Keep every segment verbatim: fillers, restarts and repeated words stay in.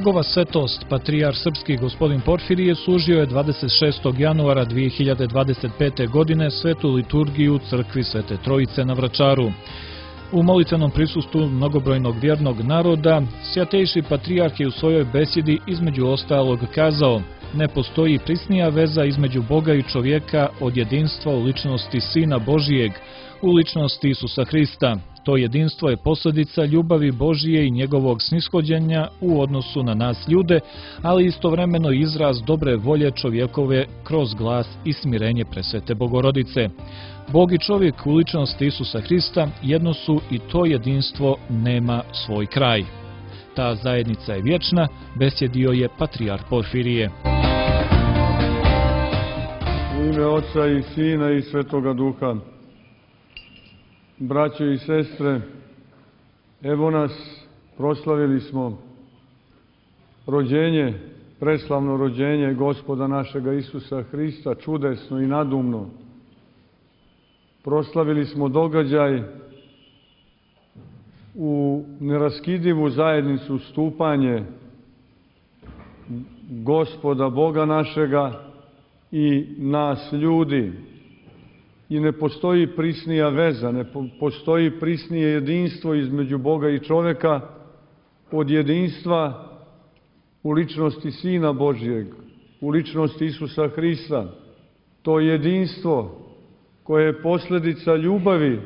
Njegova svetost, patrijarh srpski gospodin Porfirije, služio je dvadeset šestog januara dvije hiljade dvadeset pete. godine svetu liturgiju u crkvi Svete Trojice na Vračaru. U molitvenom prisustvu mnogobrojnog vjernog naroda, Svjatejši patrijarh je u svojoj besjedi između ostalog kazao: ne postoji prisnija veza između Boga i čovjeka od jedinstva u ličnosti Sina Božijeg, u ličnosti Isusa Hrista. To jedinstvo je posljedica ljubavi Božije i njegovog snishođenja u odnosu na nas ljude, ali istovremeno izraz dobre volje čovjekove kroz glas i smirenje presvete Bogorodice. Bog i čovjek u ličnosti Isusa Hrista jedno su i to jedinstvo nema svoj kraj. Ta zajednica je vječna, besjedio je patrijarh Porfirije. U ime Oca i Sina i Svetoga Duha. Braćo i sestre, evo nas, proslavili smo rođenje, preslavno rođenje Gospoda našega Isusa Hrista, čudesno i nadumno. Proslavili smo događaj u neraskidivu zajednicu stupanje Gospoda Boga našega i nas ljudi. I ne postoji prisnija veza, ne postoji prisnije jedinstvo između Boga i čovjeka od jedinstva u ličnosti Sina Božijeg, u ličnosti Isusa Hrista. To jedinstvo koje je posljedica ljubavi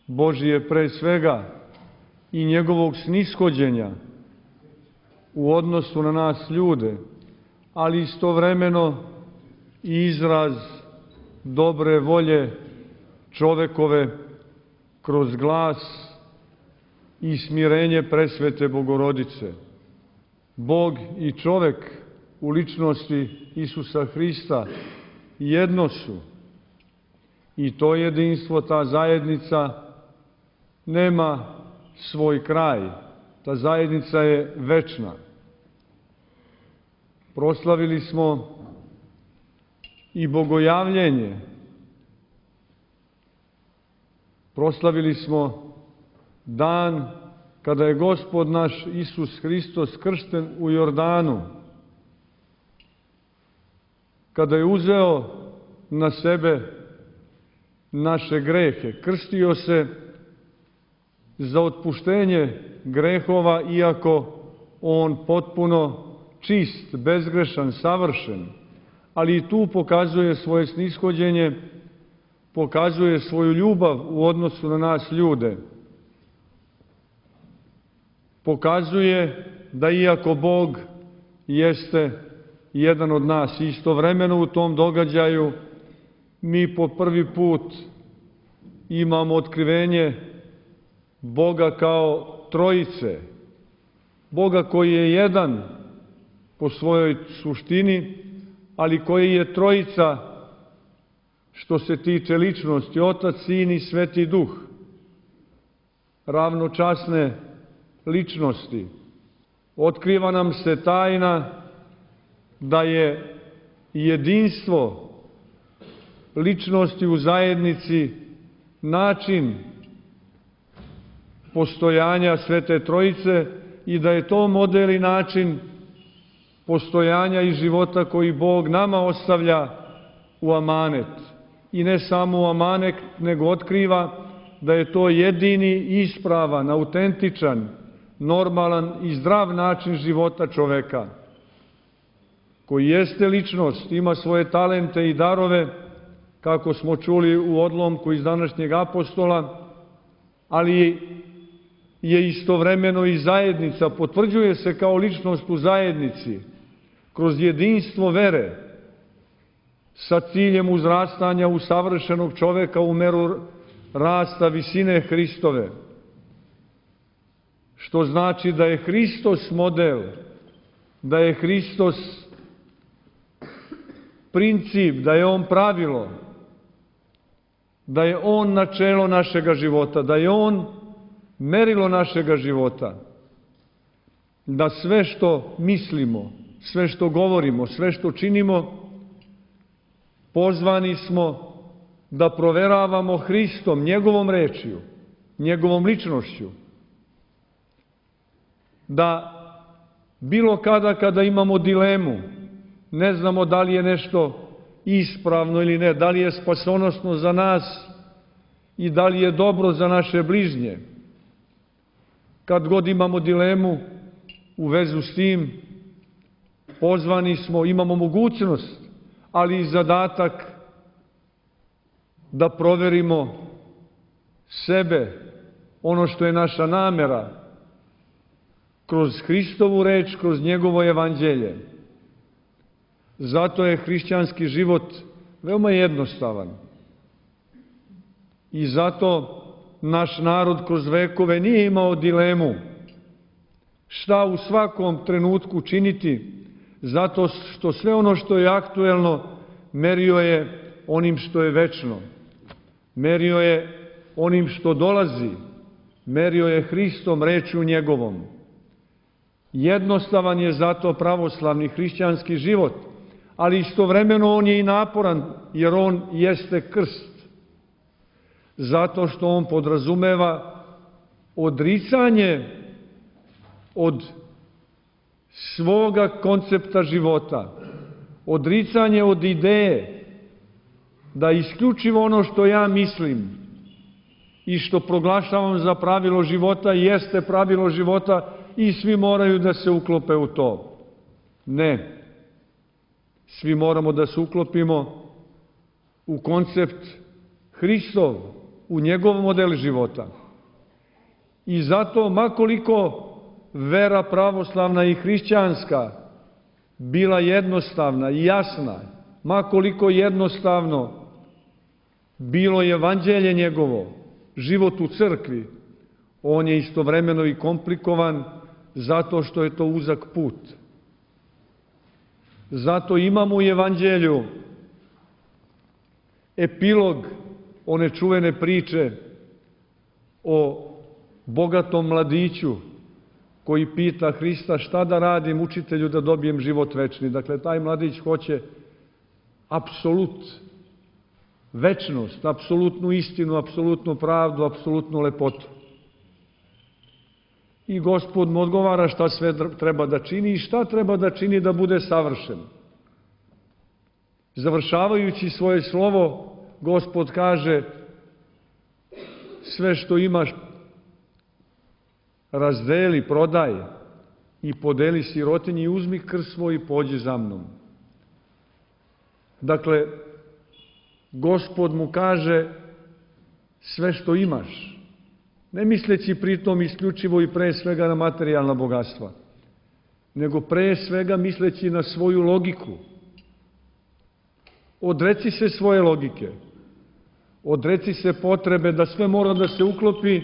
Božije pre svega i njegovog snishođenja u odnosu na nas ljude, ali istovremeno i izraz dobre volje čovekove kroz glas i smirenje presvete Bogorodice. Bog i čovek u ličnosti Isusa Hrista jedno su. I to jedinstvo, ta zajednica nema svoj kraj. Ta zajednica je večna. Proslavili smo i bogojavljenje. Proslavili smo dan kada je Gospod naš Isus Hristos kršten u Jordanu, kada je uzeo na sebe naše grehe, krstio se za otpuštenje grehova, iako on potpuno čist, bezgrešan, savršen, ali i tu pokazuje svoje snishođenje, pokazuje svoju ljubav u odnosu na nas ljude. Pokazuje da iako Bog jeste jedan od nas, istovremeno u tom događaju mi po prvi put imamo otkrivenje Boga kao Trojice, Boga koji je jedan po svojoj suštini, ali koji je Trojica što se tiče ličnosti, Otac, Sin i Sveti Duh, ravnočasne ličnosti. Otkriva nam se tajna da je jedinstvo ličnosti u zajednici način postojanja Svete Trojice i da je to model i način postojanja i života koji Bog nama ostavlja u amanet. I ne samo u amanet, nego otkriva da je to jedini ispravan, autentičan, normalan i zdrav način života čoveka, koji jeste ličnost, ima svoje talente i darove, kako smo čuli u odlomku iz današnjeg apostola, ali je istovremeno i zajednica, potvrđuje se kao ličnost u zajednici, kroz jedinstvo vere, sa ciljem uzrastanja u savršenog čoveka u meru rasta visine Hristove. Što znači da je Hristos model, da je Hristos princip, da je on pravilo, da je on načelo našega života, da je on merilo našega života, da sve što mislimo, sve što govorimo, sve što činimo, pozvani smo da proveravamo Hristom, njegovom rečju, njegovom ličnošću, da bilo kada kada imamo dilemu, ne znamo da li je nešto ispravno ili ne, da li je spasonosno za nas i da li je dobro za naše bližnje. Kad god imamo dilemu u vezu s tim, pozvani smo, imamo mogućnost, ali i zadatak da proverimo sebe, ono što je naša namera, kroz Hristovu reč, kroz njegovo evanđelje. Zato je hrišćanski život veoma jednostavan. I zato naš narod kroz vekove nije imao dilemu šta u svakom trenutku činiti, zato što sve ono što je aktuelno merio je onim što je večno. Merio je onim što dolazi. Merio je Hristom, rečju njegovom. Jednostavan je zato pravoslavni hrišćanski život, ali istovremeno on je i naporan, jer on jeste krst. Zato što on podrazumeva odricanje od svoga koncepta života, odricanje od ideje da isključivo ono što ja mislim i što proglašavam za pravilo života jeste pravilo života i svi moraju da se uklope u to. Ne. Svi moramo da se uklopimo u koncept Hristov, u njegov model života. I zato, makoliko vera pravoslavna i hrišćanska bila jednostavna i jasna, makoliko jednostavno bilo evanđelje njegovo, život u crkvi, on je istovremeno i komplikovan zato što je to uzak put. Zato imamo u evanđelju epilog one čuvene priče o bogatom mladiću koji pita Hrista šta da radim, učitelju, da dobijem život večni. Dakle, taj mladić hoće apsolut, večnost, apsolutnu istinu, apsolutnu pravdu, apsolutnu lepotu. I Gospod mu odgovara šta sve treba da čini i šta treba da čini da bude savršen. Završavajući svoje slovo, Gospod kaže: sve što imaš razdeli, prodaj i podeli sirotinji i uzmi krst svoj i pođi za mnom. Dakle, Gospod mu kaže sve što imaš, ne misleći pritom isključivo i pre svega na materijalna bogatstva, nego pre svega misleći na svoju logiku. Odreci se svoje logike, odreci se potrebe da sve mora da se uklopi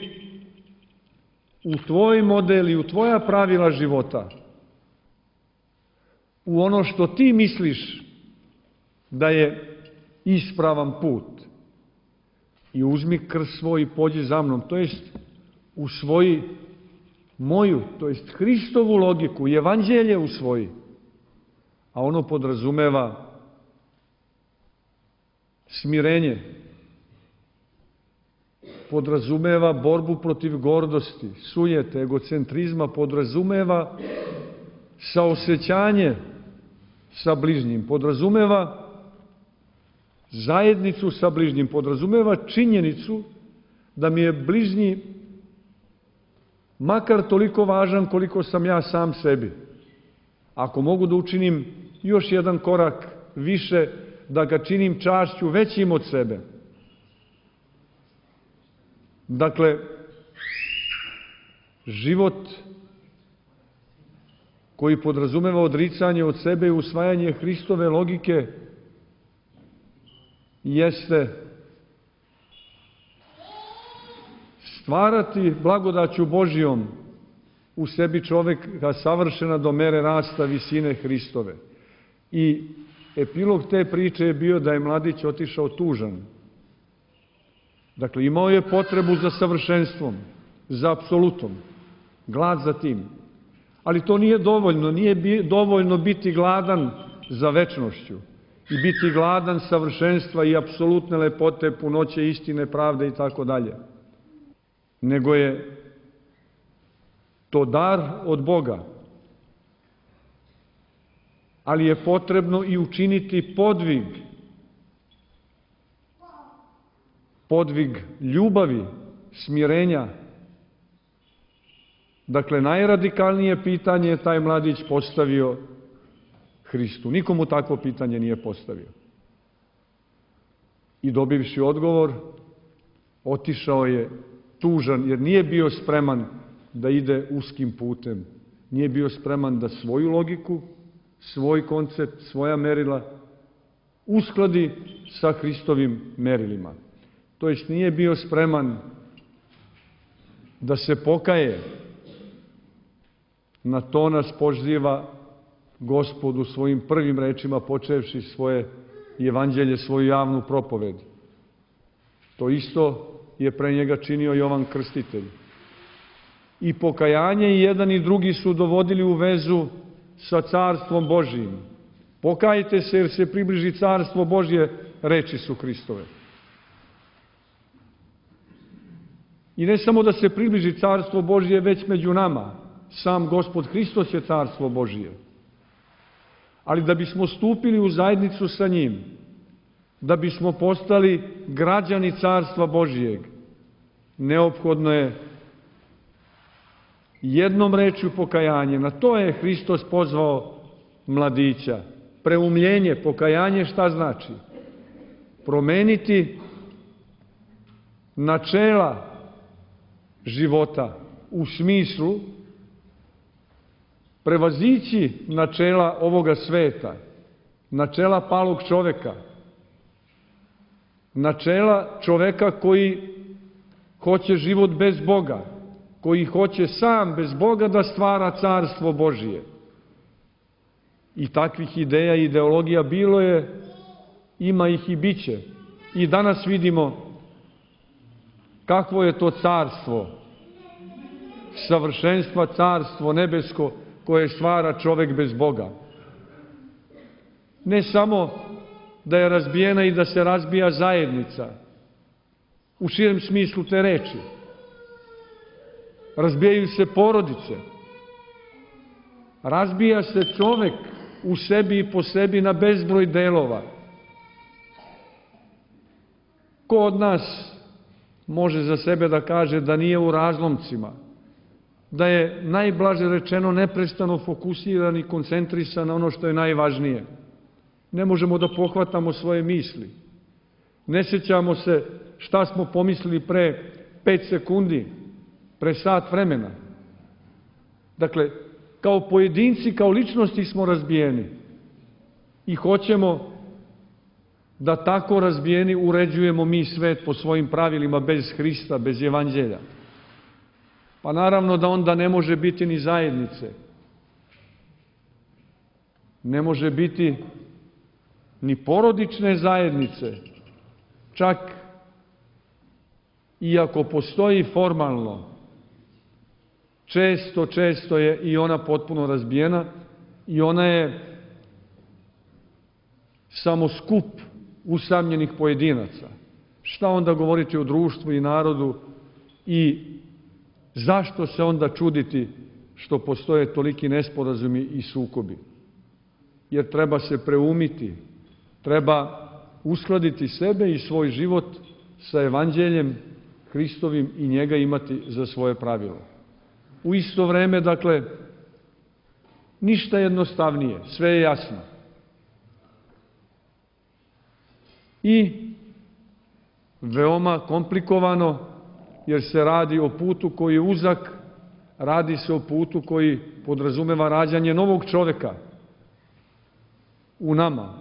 u tvoj model i u tvoja pravila života, u ono što ti misliš da je ispravan put. I uzmi krst svoj i pođi za mnom, to jest usvoji moju, to jest Hristovu logiku, evanđelje usvoji, a ono podrazumeva smirenje, podrazumeva borbu protiv gordosti, sujete, egocentrizma, podrazumeva saosećanje sa bližnjim, podrazumeva zajednicu sa bližnjim, podrazumeva činjenicu da mi je bližnji makar toliko važan koliko sam ja sam sebi. Ako mogu da učinim još jedan korak više, da ga činim čašću većim od sebe. Dakle, život koji podrazumeva odricanje od sebe i usvajanje Hristove logike jeste stvarati blagodaću Božijom u sebi čoveka savršena do mere rasta visine Hristove. I epilog te priče je bio da je mladić otišao tužan. Dakle, imao je potrebu za savršenstvom, za apsolutom, glad za tim. Ali to nije dovoljno, nije dovoljno biti gladan za večnošću i biti gladan savršenstva i apsolutne lepote, punoće istine, pravde i tako dalje. Nego je to dar od Boga. ali je potrebno i učiniti podvig. Podvig ljubavi, smirenja. Dakle, najradikalnije pitanje je taj mladić postavio Hristu. Nikomu takvo pitanje nije postavio. I dobivši odgovor, otišao je tužan, jer nije bio spreman da ide uskim putem. Nije bio spreman da svoju logiku, svoj koncept, svoja merila uskladi sa Hristovim merilima. To jest nije bio spreman da se pokaje. Na to nas poziva Gospod u svojim prvim rečima, počevši svoje evanđelje, svoju javnu propoved. To isto je pre njega činio Jovan Krstitelj. I pokajanje i jedan i drugi su dovodili u vezu sa Carstvom Božijim. Pokajte se jer se približi Carstvo Božje, reči su Hristove. I ne samo da se približi Carstvo Božje, već među nama. Sam Gospod Hristos je Carstvo Božije. Ali da bismo stupili u zajednicu sa njim, da bismo postali građani Carstva Božijeg, neophodno je jednom rečju pokajanje. Na to je Hristos pozvao mladića. Preumljenje, pokajanje šta znači? Promeniti načela života u smislu prevazići načela ovoga sveta, načela palog čoveka, načela čoveka koji hoće život bez Boga, koji hoće sam bez Boga da stvara Carstvo Božije. I takvih ideja i ideologija bilo je, ima ih i bit će. I danas vidimo kakvo je to carstvo, savršenstva carstvo nebesko koje stvara čovek bez Boga. Ne samo da je razbijena i da se razbija zajednica, u širem smislu te reči. Razbijaju se porodice. Razbija se čovek u sebi i po sebi na bezbroj delova. Ko od nas može za sebe da kaže da nije u razlomcima, da je najblaže rečeno neprestano fokusiran i koncentrisan na ono što je najvažnije. Ne možemo da pohvatamo svoje misli. Ne sjećamo se šta smo pomislili pre pet sekundi, pre sat vremena. Dakle, kao pojedinci, kao ličnosti smo razbijeni i hoćemo da tako razbijeni uređujemo mi svet po svojim pravilima bez Hrista, bez evanđelja. Pa naravno da onda ne može biti ni zajednice. Ne može biti ni porodične zajednice, čak iako postoji formalno, često, često je i ona potpuno razbijena i ona je samo skup usamljenih pojedinaca. Šta onda govoriti o društvu i narodu i zašto se onda čuditi što postoje toliki nesporazumi i sukobi? Jer treba se preumiti, treba uskladiti sebe i svoj život sa evanđeljem Hristovim i njega imati za svoje pravilo. U isto vreme, dakle, ništa jednostavnije, sve je jasno. I veoma komplikovano, jer se radi o putu koji je uzak, radi se o putu koji podrazumeva rađanje novog čoveka u nama.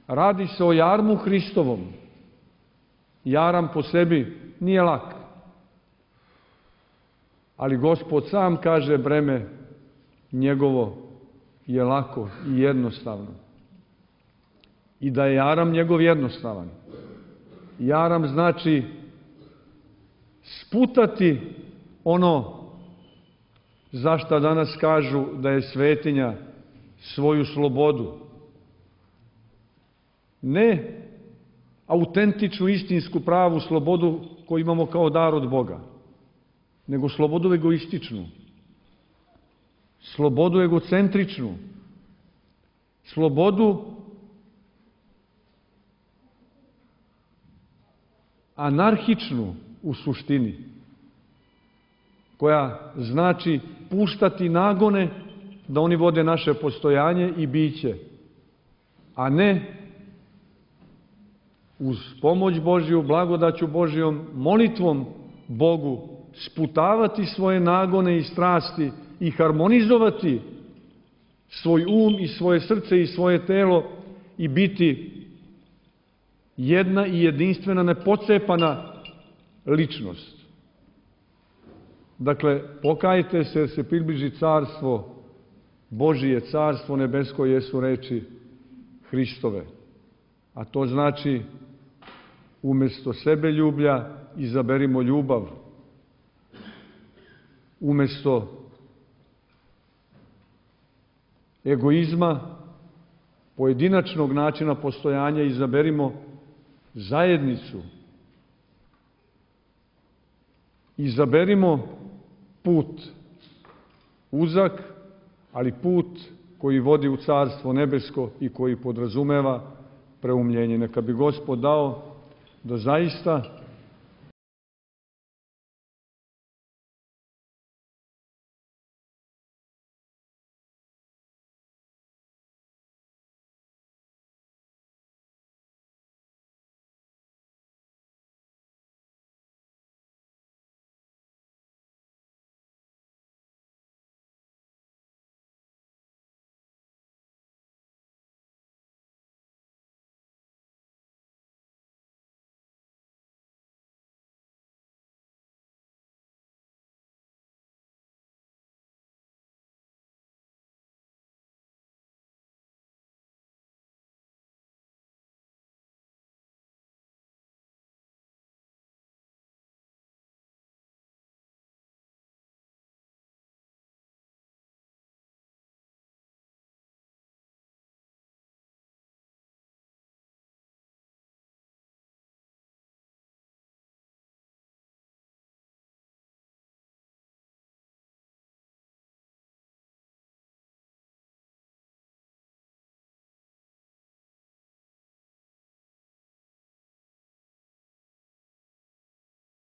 Radi se o jarmu Hristovom. Jaram po sebi nije lak. Ali Gospod sam kaže breme njegovo je lako i jednostavno. I da je jaram njegov jednostavan. Jaram znači sputati ono za šta danas kažu da je svetinja, svoju slobodu. Ne autentičnu, istinsku, pravu slobodu koju imamo kao dar od Boga, nego slobodu egoističnu, slobodu egocentričnu, slobodu anarhičnu u suštini, koja znači puštati nagone da oni vode naše postojanje i biće, a ne uz pomoć Božju, blagodaću Božjom, molitvom Bogu sputavati svoje nagone i strasti i harmonizovati svoj um i svoje srce i svoje telo i biti jedna i jedinstvena, nepocepana ličnost. Dakle, pokajte se jer se približi carstvo Božije, carstvo nebesko jesu reči Hristove. A to znači, umesto sebeljublja izaberimo ljubav. Umesto egoizma, pojedinačnog načina postojanja izaberimo zajednicu. Izaberimo put uzak, ali put koji vodi u carstvo nebesko i koji podrazumeva preumljenje. Neka bi Gospod dao da zaista